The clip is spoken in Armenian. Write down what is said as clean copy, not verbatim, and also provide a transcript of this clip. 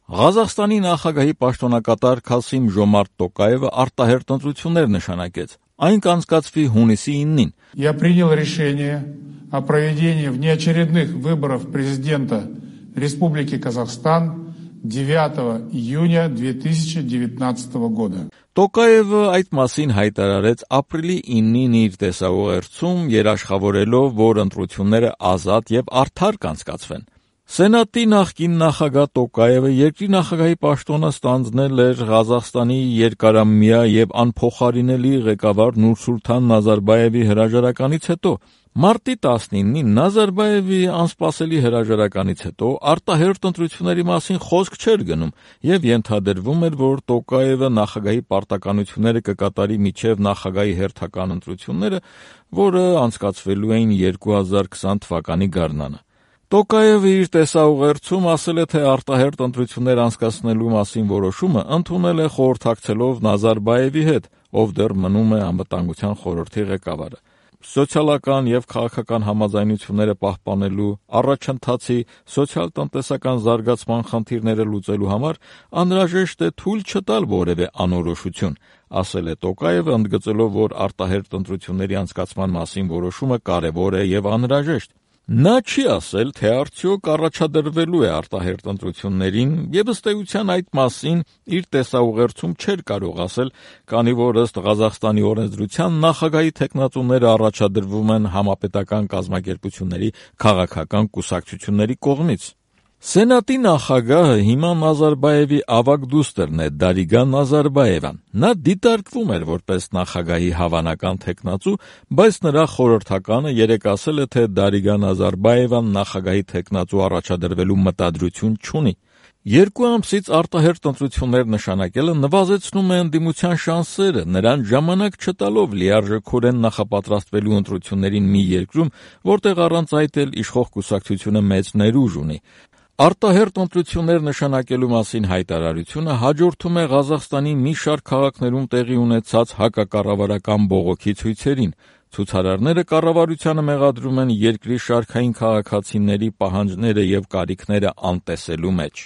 Ղազախստանի նախագահի պաշտոնակատար Քասիմ Ժոմարտ Տոկաևը արտահերթ ընտրություններ նշանակեց, այն կանցկացվի հունիսի 9-ին։ Я принял решение о проведении внеочередных выборов президента Республики Казахстан 9 июня 2019 года. Տոկաևը այդ մասին հայտարարեց ապրիլի 9-ին իր տեսաուղերձում, երաշխավորելով, որ ընտրությունները ազատ եւ արդար կանցկացվեն։ Սենատի նախկին նախագահ Տոկաևը երկրի նախագահի պաշտոնը ստանձնել էր Ղազախստանի երկարամյա եւ անփոխարինելի ղեկավար Նուրսուլթան Նազարբաևի հրաժարականից հետո։ Մարտի 19-ին Նազարբաևի անսպասելի հրաժարականից հետո արտահերթ ընտրությունների մասին խոսք չէր գնում եւ ենթադրվում էր, որ Տոկաևը նախագահի պարտականությունները կկատարի մինչեւ նախագահի հերթական ընտրությունները, որը անցկացվելու էին 2020 թվականի գարնանը։ Տոկաևը իր տեսաուղերձում ասել է, թե արտահերթ ընտրություններ անցկացնելու մասին որոշումը ընդունել է խորհրդակցելով Նազարբաևի հետ, ով դեռ մնում է անվտանգության խորհրդի ղեկավարը։ Սոցիալական եւ քաղաքական համաձայնությունները պահպանելու, առաջընթացի, սոցիալ-տնտեսական զարգացման խնդիրները լուծելու համար անհրաժեշտ է թույլ չտալ որևէ անորոշություն, ասել է Տոկաևը, ընդգծելով, որ արտահերթ ընտրությունների անցկացման մասին որոշումը կարևոր է եւ անհրաժեշտ։ Նա չի ասել, թե արդյոք առաջադրվելու է արտահերթ ընտրություններին եւ ըստ էության այդ մասին իր տեսաուղերձում չէր կարող ասել, քանի որ ըստ Ղազախստանի օրենսդրության նախագահի թեկնածուները առաջադրվում են համապետական կազմակերպությունների քաղաքական կուսակցությունների կողմից։ Սենատի նախագահը հիմա Նազարբաևի ավագ դուստրն է Դարիգա Նազարբաևան։ Նա դիտարկվում էր որպես նախագահի հավանական թեկնածու, բայց նրա խորհրդականը երեկ ասել է, թե Դարիգա Նազարբաևան նախագահի թեկնածու առաջադրվելու մտադրություն չունի։ 2 ամսից արտահերթ ընտրություններ նշանակելը նվազեցնում է ընդդիմության շանսերը, նրան ժամանակ չտալով լիարժեքորեն նախապատրաստվելու ընտրություններին մի երկրում, որտեղ առանց այդ էլ իշխող կուսակցությունը մեծ ներուժ ունի։ Արտահերթ ընտրություններ նշանակելու մասին հայտարարությունը հաջորդում է Ղազախստանի մի շարք քաղաքներում տեղի ունեցած հակակառավարական բողոքի ցույցերին։ Ցուցարարները կառավարությանը մեղադրում են երկրի շարքային քաղաքացիների պահանջները եւ կարիքները անտեսելու մեջ։